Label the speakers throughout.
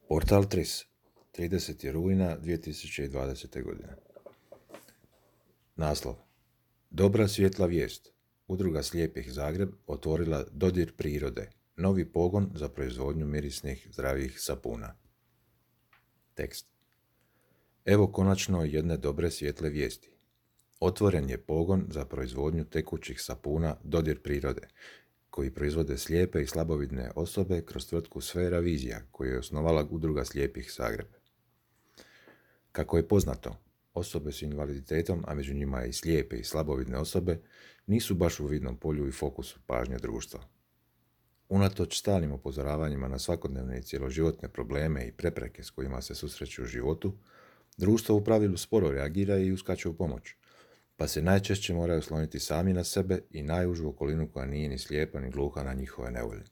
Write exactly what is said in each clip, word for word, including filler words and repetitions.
Speaker 1: Portal Tris, tridesetog rujna dvije tisuće dvadesete. godine. Naslov. Dobra svjetla vijest. Udruga slijepih Zagreb otvorila Dodir prirode, novi pogon za proizvodnju mirisnih zdravih sapuna. Tekst. Evo konačno jedne dobre svjetle vijesti. Otvoren je pogon za proizvodnju tekućih sapuna Dodir prirode, koji proizvode slijepe i slabovidne osobe kroz tvrtku Sfera Vizija, koju je osnovala Udruga slijepih Zagreb. Kako je poznato, osobe s invaliditetom, a među njima i slijepe i slabovidne osobe, nisu baš u vidnom polju i fokusu pažnje društva. Unatoč stalnim upozoravanjima na svakodnevne i cjeloživotne probleme i prepreke s kojima se susreću u životu, društvo u pravilu sporo reagira i uskače u pomoć, pa se najčešće moraju osloniti sami na sebe i najužu okolinu koja nije ni slijepa ni gluha na njihove nevolje.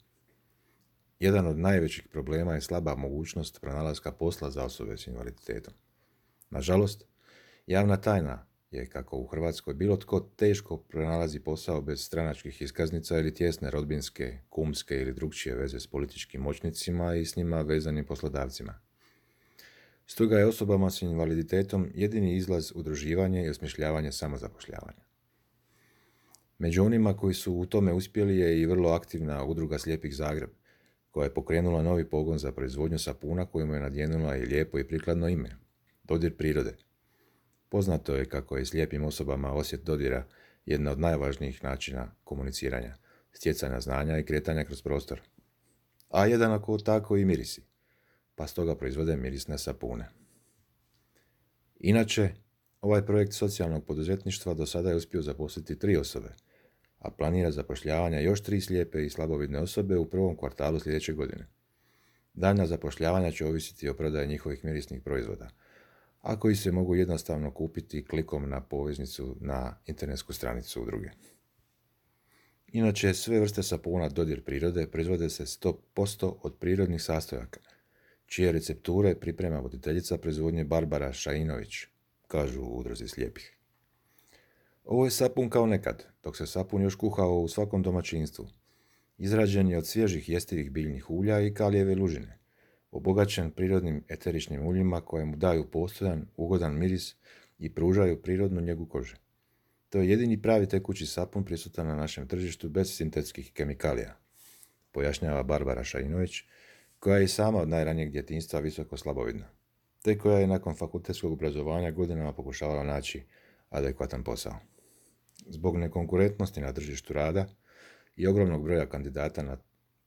Speaker 1: Jedan od najvećih problema je slaba mogućnost pronalaska posla za osobe s invaliditetom. Nažalost, javna tajna je kako u Hrvatskoj bilo tko teško pronalazi posao bez stranačkih iskaznica ili tjesne rodbinske, kumske ili drugčije veze s političkim moćnicima i s njima vezanim poslodavcima. Stoga je osobama s invaliditetom jedini izlaz udruživanje i osmišljavanje samozapošljavanja. Među onima koji su u tome uspjeli je i vrlo aktivna Udruga slijepih Zagreb, koja je pokrenula novi pogon za proizvodnju sapuna kojemu je nadjenula i lijepo i prikladno ime – Dodir prirode. Poznato je kako je slijepim osobama osjet dodira jedna od najvažnijih načina komuniciranja, stjecanja znanja i kretanja kroz prostor. A jedan ako tako i mirisi, pa stoga proizvode mirisne sapune. Inače, ovaj projekt socijalnog poduzetništva do sada je uspio zaposliti tri osobe, a planira zapošljavanje još tri slijepe i slabovidne osobe u prvom kvartalu sljedeće godine. Daljnja zapošljavanja će ovisiti o prodaji njihovih mirisnih proizvoda, a koji se mogu jednostavno kupiti klikom na poveznicu na internetsku stranicu udruge. Inače, sve vrste sapuna Dodir prirode proizvode se sto posto od prirodnih sastojaka, čije recepture priprema voditeljica proizvodnje Barbara Šainović, kažu u Udruzi slijepih. Ovo je sapun kao nekad, dok se sapun još kuhao u svakom domaćinstvu. Izrađen je od svježih jestivih biljnih ulja i kalijeve lužine, obogaćen prirodnim eteričnim uljima koje mu daju postojan, ugodan miris i pružaju prirodnu njegu kože. To je jedini pravi tekući sapun prisutan na našem tržištu bez sintetskih kemikalija, pojašnjava Barbara Šainović, koja je i sama od najranijeg djetinjstva visoko slabovidna, te koja je nakon fakultetskog obrazovanja godinama pokušavala naći adekvatan posao. Zbog nekonkurentnosti na tržištu rada i ogromnog broja kandidata na,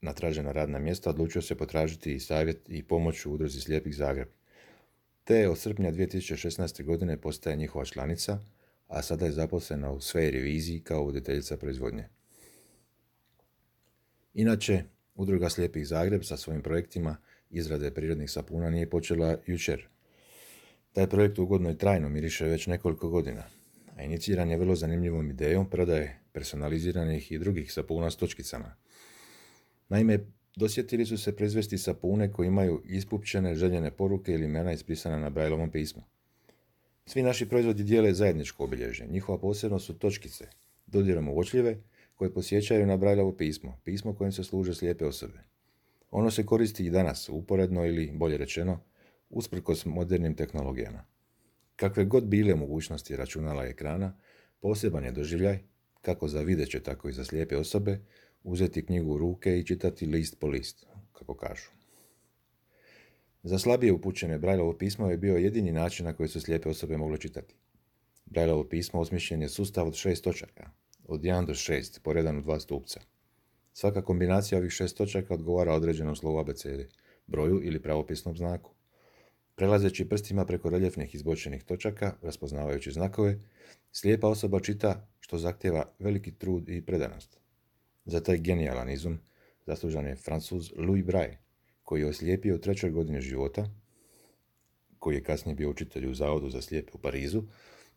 Speaker 1: na tražena radna mjesta odlučio se potražiti i savjet i pomoć u Udruzi slijepih Zagreb, te od srpnja dvije tisuće šesnaeste. godine postaje njihova članica, a sada je zaposlena u Sferi Viziji kao voditeljica proizvodnje. Inače, Udruga slijepih Zagreb sa svojim projektima izrade prirodnih sapuna nije počela jučer. Taj projekt ugodno i trajno miriše već nekoliko godina, a iniciran je vrlo zanimljivom idejom prodaje personaliziranih i drugih sapuna s točkicama. Naime, dosjetili su se proizvesti sapune koji imaju ispupčene željene poruke ili imena ispisana na Brailleovom pismu. Svi naši proizvodi dijele zajedničko obilježje. Njihova posebnost su točkice, dodirom uočljive, koje posjećaju na Brailleovo pismo, pismo kojim se služe slijepe osobe. Ono se koristi i danas, uporedno ili, bolje rečeno, usprkos modernim tehnologijama. Kakve god bile mogućnosti računala i ekrana, poseban je doživljaj, kako za videće, tako i za slijepe osobe, uzeti knjigu u ruke i čitati list po list, kako kažu. Za slabije upućene Brailleovo pismo je bio jedini način na koji su slijepe osobe mogle čitati. Brailleovo pismo osmišljen je sustav od šest točaka, od jedan do šest, poredan u dva stupca. Svaka kombinacija ovih šest točaka odgovara određenom slovu abecede, broju ili pravopisnom znaku. Prelazeći prstima preko reljefnih izbočenih točaka, raspoznavajući znakove, slijepa osoba čita, što zahtjeva veliki trud i predanost. Za taj genijalan izum zaslužan je Francuz Louis Braille, koji je oslijepio u trećoj godini života, koji je kasnije bio učitelj u Zavodu za slijepe u Parizu,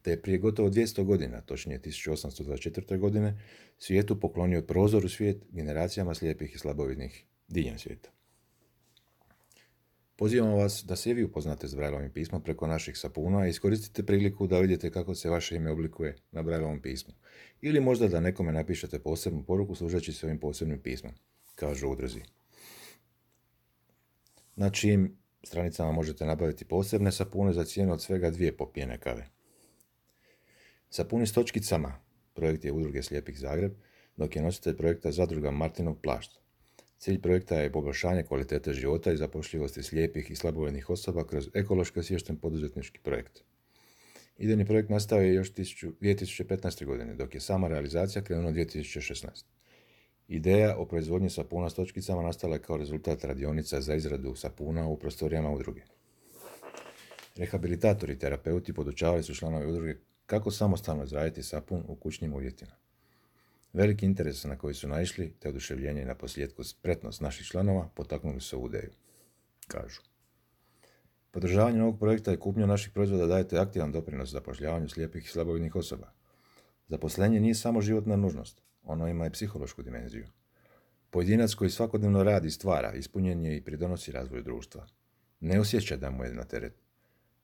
Speaker 1: te je prije gotovo dvjesto godina, točnije tisuću osamsto dvadeset četvrte. godine, svijetu poklonio prozor u svijet generacijama slijepih i slabovidnih diljem svijeta. Pozivamo vas da se i vi upoznate s Brailleovim pismom preko naših sapuna i iskoristite priliku da vidite kako se vaše ime oblikuje na Brailleovom pismu. Ili možda da nekome napišete posebnu poruku služeći se ovim posebnim pismom, kažu u udruzi. Na čijim stranicama možete nabaviti posebne sapune za cijenu od svega dvije popijene kave. Sapuni s točkicama projekt je Udruge slijepih Zagreb, dok je nositelj projekta Zadruga Martinov Plašt. Cilj projekta je poboljšanje kvalitete života i zapošljivosti slijepih i slabovidnih osoba kroz ekološki osviješten poduzetnički projekt. Idejni projekt nastao je još dvije tisuće petnaeste. godine, dok je sama realizacija krenula dvije tisuće šesnaeste. Ideja o proizvodnji sapuna s točkicama nastala je kao rezultat radionica za izradu sapuna u prostorijama udruge. Rehabilitatori i terapeuti podučavali su članove udruge kako samostalno izraditi sapun u kućnim uvjetima. Veliki interes na koji su naišli, te oduševljenje i na posljedku spretnost naših članova potaknuli su ovu ideju, kažu. Podržavanje ovog projekta i kupnju naših proizvoda dajete aktivan doprinos zapošljavanju slijepih i slabovidnih osoba. Zaposlenje nije samo životna nužnost, ono ima i psihološku dimenziju. Pojedinac koji svakodnevno radi i stvara, ispunjen je i pridonosi razvoju društva. Ne osjeća da mu je na teret.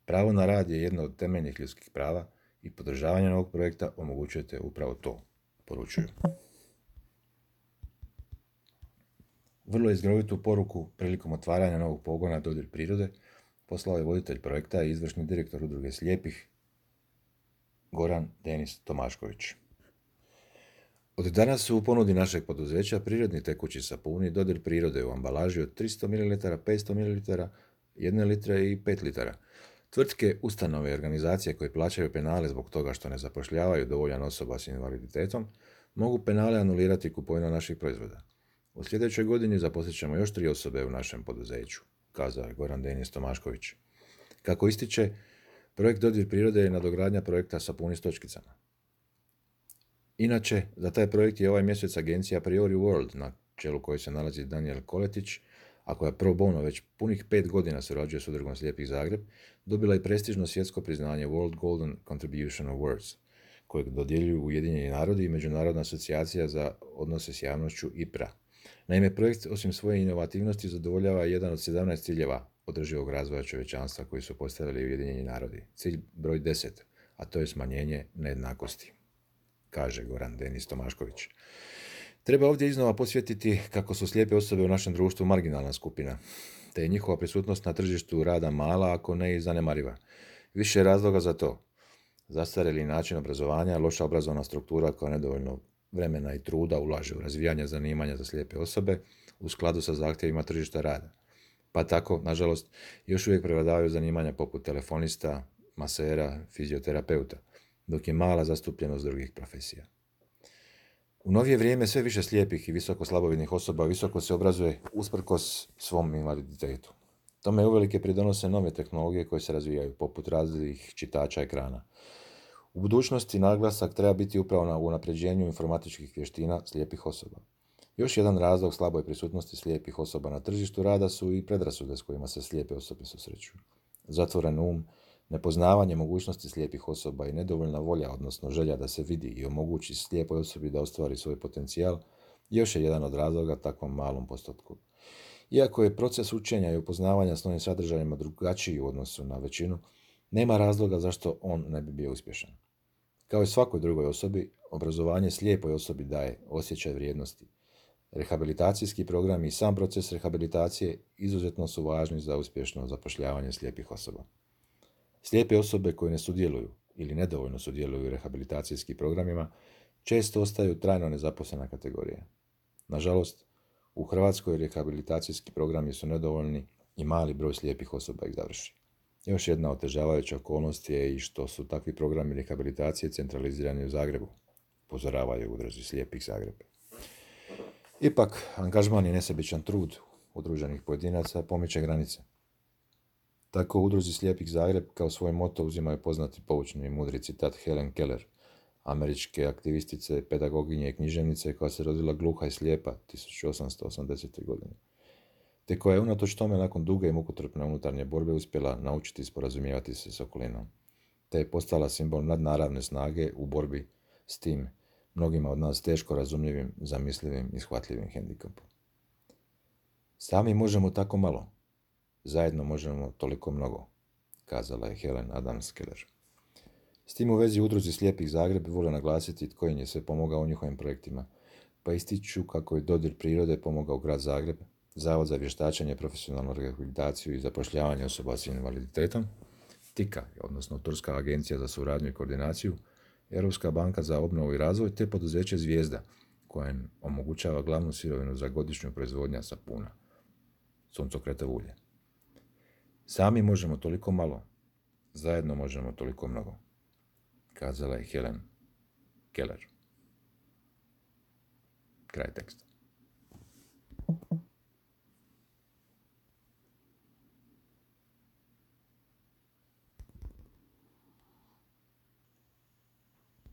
Speaker 1: Pravo na rad je jedno od temeljnih ljudskih prava i podržavanjem ovog projekta omogućujete upravo to, poručuju. Vrlo izgrovitu poruku prilikom otvaranja novog pogona Dodir prirode poslao je voditelj projekta i izvršni direktor Udruge slijepih Goran Denis Tomašković. Od danas su u ponudi našeg poduzeća prirodni tekući sapuni Dodir prirode u ambalaži od tristo mililitara, petsto mililitara, jedne litre i pet litara. Tvrtke, ustanove i organizacije koje plaćaju penale zbog toga što ne zapošljavaju dovoljan osoba s invaliditetom, mogu penale anulirati kupovinom naših proizvoda. U sljedećoj godini zaposlit ćemo još tri osobe u našem poduzeću, kazao je Goran Denis Tomašković. Kako ističe, projekt Dodir prirode je nadogradnja projekta Sapuni s točkicama. Inače, za taj projekt je ovaj mjesec agencija Priori World, na čelu koje se nalazi Daniel Koletić, a koja pro bono već punih pet godina surađuje s Udrugom slijepih Zagreb, dobila i prestižno svjetsko priznanje World Golden Contribution Awards, kojeg dodjeljuju Ujedinjeni narodi i Međunarodna asocijacija za odnose s javnošću I P R A. Naime, projekt osim svoje inovativnosti zadovoljava jedan od sedamnaest ciljeva održivog razvoja čovječanstva koji su postavili Ujedinjeni narodi. Cilj broj deset, a to je smanjenje nejednakosti, kaže Goran Denis Tomašković. Treba ovdje iznova posjetiti kako su slijepe osobe u našem društvu marginalna skupina, te je njihova prisutnost na tržištu rada mala, ako ne i zanemariva. Više je razloga za to. Zastarjeli način obrazovanja, loša obrazovna struktura koja nedovoljno vremena i truda ulaže u razvijanje zanimanja za slijepe osobe u skladu sa zahtjevima tržišta rada. Pa tako, nažalost, još uvijek prevladavaju zanimanja poput telefonista, masera, fizioterapeuta, dok je mala zastupljenost drugih profesija. U novije vrijeme sve više slijepih i visoko slabovidnih osoba visoko se obrazuje usprkos svom invaliditetu. Tome uvelike pridonose nove tehnologije koje se razvijaju, poput različitih čitača ekrana. U budućnosti naglasak treba biti upravo na unapređenju informatičkih vještina slijepih osoba. Još jedan razlog slaboj prisutnosti slijepih osoba na tržištu rada su i predrasude s kojima se slijepe osobe susreću. Zatvoren um, nepoznavanje mogućnosti slijepih osoba i nedovoljna volja, odnosno želja da se vidi i omogući slijepoj osobi da ostvari svoj potencijal, još je jedan od razloga takvom malom postotku. Iako je proces učenja i upoznavanja s novim sadržajima drugačiji u odnosu na većinu, nema razloga zašto on ne bi bio uspješan. Kao i svakoj drugoj osobi, obrazovanje slijepoj osobi daje osjećaj vrijednosti. Rehabilitacijski program i sam proces rehabilitacije izuzetno su važni za uspješno zapošljavanje slijepih osoba. Slijepe osobe koje ne sudjeluju ili nedovoljno sudjeluju u rehabilitacijskim programima često ostaju trajno nezaposlena kategorija. Nažalost, u Hrvatskoj rehabilitacijski programi su nedovoljni i mali broj slijepih osoba ih završi. Još jedna otežavajuća okolnost je i što su takvi programi rehabilitacije centralizirani u Zagrebu, upozoravaju u Udruzi slijepih Zagreb. Ipak, angažman i nesebičan trud udruženih pojedinaca pomiče granice. Tako u Udruzi slijepih Zagreb kao svoj moto uzimaju poznati poučni i mudri citat Helen Keller, američke aktivistice, pedagoginje i književnice koja se rodila gluha i slijepa tisuću osamsto osamdesete. godine, te koja je unatoč tome nakon duge i mukotrpne unutarnje borbe uspjela naučiti sporazumijevati se s okolinom, te je postala simbol nadnaravne snage u borbi s tim mnogima od nas teško razumljivim, zamislivim i shvatljivim hendikapom. Sami možemo tako malo, zajedno možemo toliko mnogo, kazala je Helen Adams Keller. S tim u vezi Udruzi slijepih Zagreb vole naglasiti tko im je sve pomogao u njihovim projektima, pa ističu kako je Dodir prirode pomogao grad Zagreb, Zavod za vještačenje, profesionalnu rehabilitaciju i zapošljavanje osoba s invaliditetom, TIKA, odnosno Turska agencija za suradnju i koordinaciju, Europska banka za obnovu i razvoj te poduzeće Zvijezda, koje omogućava glavnu sirovinu za godišnju proizvodnju sapuna, suncokretovo ulje. Sami možemo toliko malo, zajedno možemo toliko mnogo, kazala je Helen Keller. Kraj teksta.